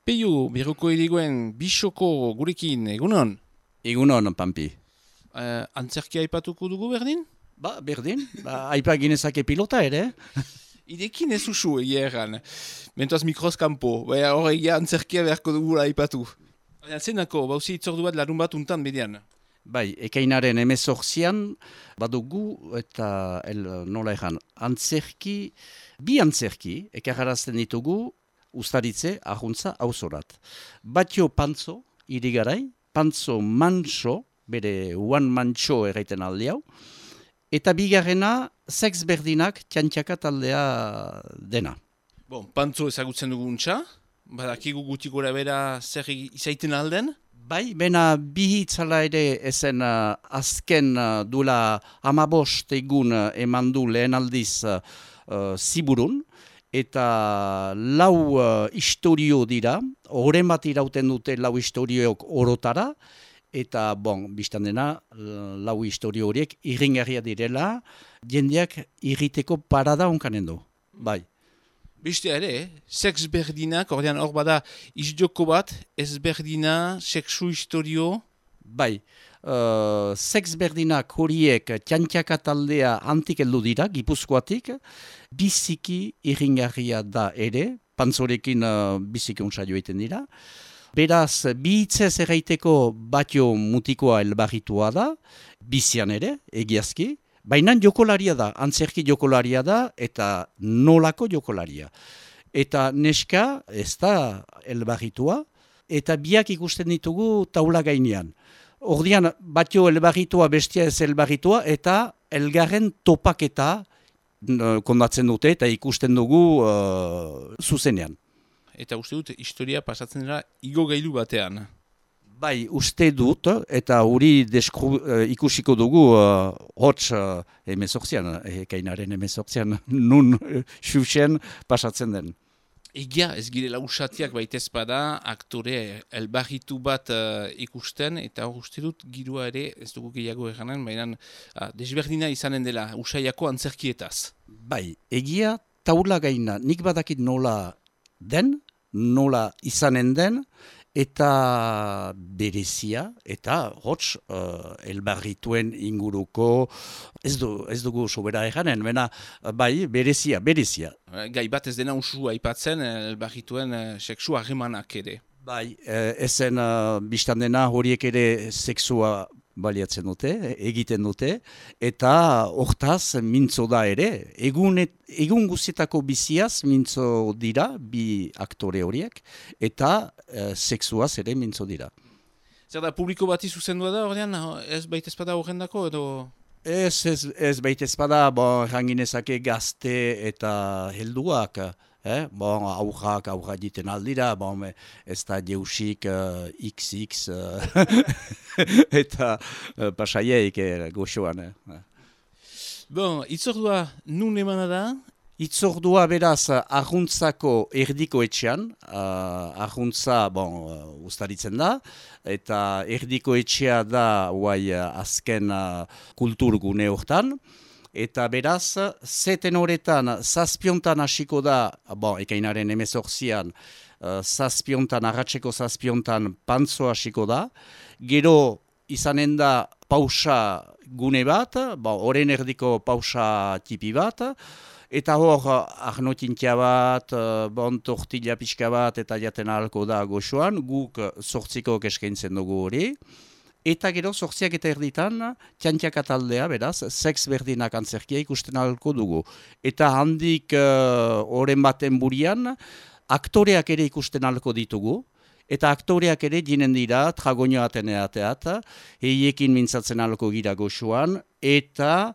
Peio, Berroko Irigoen, Bisoko gurekin, egunon? Egunon, Pampi. Antzerkia aipatuko dugu berdin? Berdin, aipa ginezake pilota ere. Idekin ez usu egia erran. Mentoaz mikroz kanpo, horregia antzerkia beharko dugula aipatu. Zenako, bauzi itzordu bat larun bat untan median. Ekainaren 18an badugu eta nola egan, bi antzerki, ekarrarazten ditugu ustaritze ahuntza auzorat. Batio Pantzo, irigarai, Pantzo Manso, bere one mancho erraiten alde hau, eta bigarrena sex berdinak txantxaka taldea dena. Pantzo ezagutzen dugu untxa, badakigu gutik gora bera zer izaiten alden? Bena bihitzala ere ezen azken dula 15 egun eman du lehen aldiz Ziburun, eta lau historio dira, horren bat irauten dute lau historioak orotara, eta biztan dena, lau historio horiek irringarria direla, jendeak irriteko parada onkanen du. Beste ere, sex berdinak, ordean hor bada izjoko bat, ez berdina, sexu historio? Sex berdinak horiek txantxaka taldea antik heldu dira, Gipuzkoatik, biziki irringarria da ere, Pantzorekin biziki unsaio egiten dira. Beraz, bihitzez erraiteko Batio mutikoa elbarritua da, bizian ere, egiazki, baina jokolaria da, antzerki jokolaria da, eta nolako jokolaria. Eta neska, ez da elbarritua, eta biak ikusten ditugu taula gainean. Ordian, Batio elbarritua, bestia ez elbarritua, eta elgarren topaketa kondatzen dute, eta ikusten dugu zuzenean. Eta uste dut, historia pasatzen dira igo gailu batean. Uste dut, eta hori ikusiko dugu hots 18an, ekainaren 18an, nun xuxen pasatzen den. Egia, ez girela usatiak baitez bada, aktore elbarritu bat ikusten, eta hor uste dut girua ere, ez dugu gehiago eganen, baina desberdina izanen dela usaiako antzerkietaz. Egia taula gaina, nik badakit nola den, nola izanen den, eta berezia, eta hots elbarrituen inguruko, ez dugu sobera eganen, berezia. Gai bat ez dena usu aipatzen elbarrituen sexu harremanak ere. Ezen biztan dena horiek ere sexua baliatzen dute, egiten dute, eta hortaz mintzo da ere. Egun guzietako biziaz mintzo dira, bi aktore horiek, eta sexuaz ere mintzo dira. Zer da, publiko bati zuzendua da, ordean, ez baitezpada horrendako, edo? Ez baitezpada, ranginezake gazte eta helduak, aurrak jiten aldira, ez da jeusik XX eta pasaiek goxoan. Itzordua nun emana da? Itzordua beraz ahuntzako erdiko etxean, ahuntza ustaritzen da, eta erdiko etxea da azken kulturgune hortan. Eta beraz, zeten horretan, zazpiontan hasiko da, ekainaren 18an, arratseko zazpiontan Pantzo hasiko da. Gero izanen da pausa gune bat, horren erdiko pausa tipi bat, eta hor arnotintia bat, tortilla pixka bat, eta jaten ahalko da goxoan, guk 8 eskaintzen dugu hori. Eta gero, 8 eta erditan, txantxaka taldea, beraz, sex berdinak antzerkia ikusten ahalko dugu. Eta handik horren baten burian, aktoreak ere ikusten ahalko ditugu, eta aktoreak ere jinen dira, tragoño ateneateat, heiekin mintzatzen ahalko gira goxuan, eta,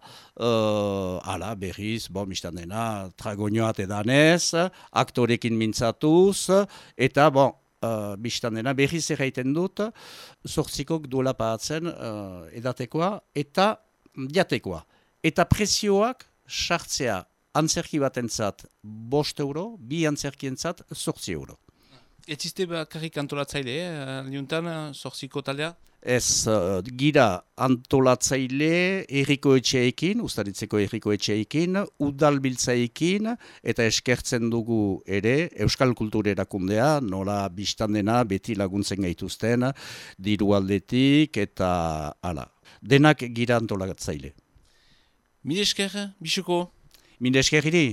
berriz, mistan dena, tragoño atedanez, aktorekin mintzatuz, eta, biztan dena, berriz erraiten dut, 8 duela paatzen edatekoa eta jatekoa. Eta prezioak sartzea antzerki batentzat 5 euro, bi antzerkientzat 8 euro. Etzizte bakarrik antolatzaile, liuntan, zorziko taldea? Ez gira antolatzaile herriko etxeekin, Uztaritzeko herriko etxeekin, udalbiltzaekin, eta eskertzen dugu ere Euskal Kultur Erakundea, nola biztan dena beti laguntzen gaituzten, diru aldetik eta hala. Denak gira antolatzaile. Mil esker, bisuko? Mil esker iri?